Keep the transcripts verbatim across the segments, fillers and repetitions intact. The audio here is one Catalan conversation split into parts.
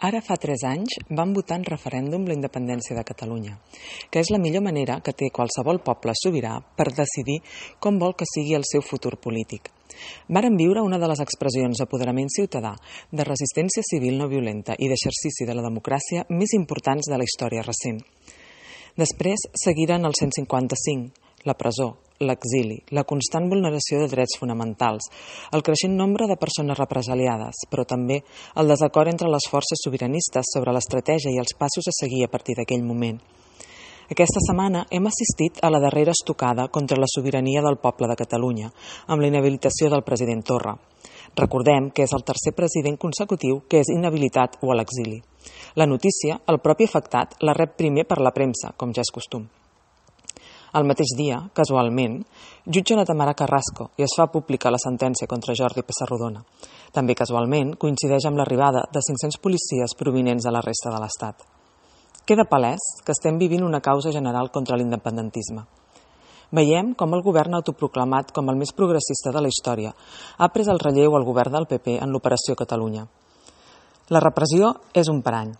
Ara fa tres anys vam votar en referèndum la independència de Catalunya, que és la millor manera que té qualsevol poble sobirà per decidir com vol que sigui el seu futur polític. Vàrem viure una de les expressions d'apoderament ciutadà, de resistència civil no violenta i d'exercici de la democràcia més importants de la història recent. Després seguiren el cent cinquanta-cinc, la presó, l'exili, la constant vulneració de drets fonamentals, el creixent nombre de persones represaliades, però també el desacord entre les forces sobiranistes sobre l'estratègia i els passos a seguir a partir d'aquell moment. Aquesta setmana hem assistit a la darrera estocada contra la sobirania del poble de Catalunya, amb la inhabilitació del president Torra. Recordem que és el tercer president consecutiu que és inhabilitat o a l'exili. La notícia, el propi afectat, la rep primer per la premsa, com ja és costum. El mateix dia, casualment, jutja la Tamara Carrasco i es fa pública la sentència contra Jordi Pessarrodona. També casualment coincideix amb l'arribada de cinc-cents policies provinents de la resta de l'Estat. Queda palès que estem vivint una causa general contra l'independentisme. Veiem com el govern autoproclamat com el més progressista de la història ha pres el relleu al govern del P P en l'Operació Catalunya. La repressió és un parany.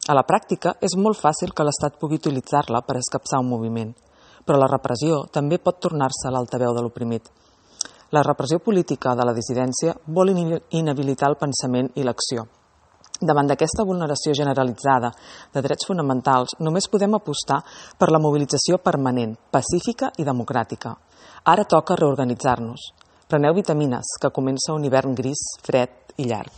A la pràctica és molt fàcil que l'Estat pugui utilitzar-la per escapçar un moviment, però la repressió també pot tornar-se l'altaveu de l'oprimit. La repressió política de la dissidència vol inhabilitar el pensament i l'acció. Davant d'aquesta vulneració generalitzada de drets fonamentals, només podem apostar per la mobilització permanent, pacífica i democràtica. Ara toca reorganitzar-nos. Preneu vitamines, que comença un hivern gris, fred i llarg.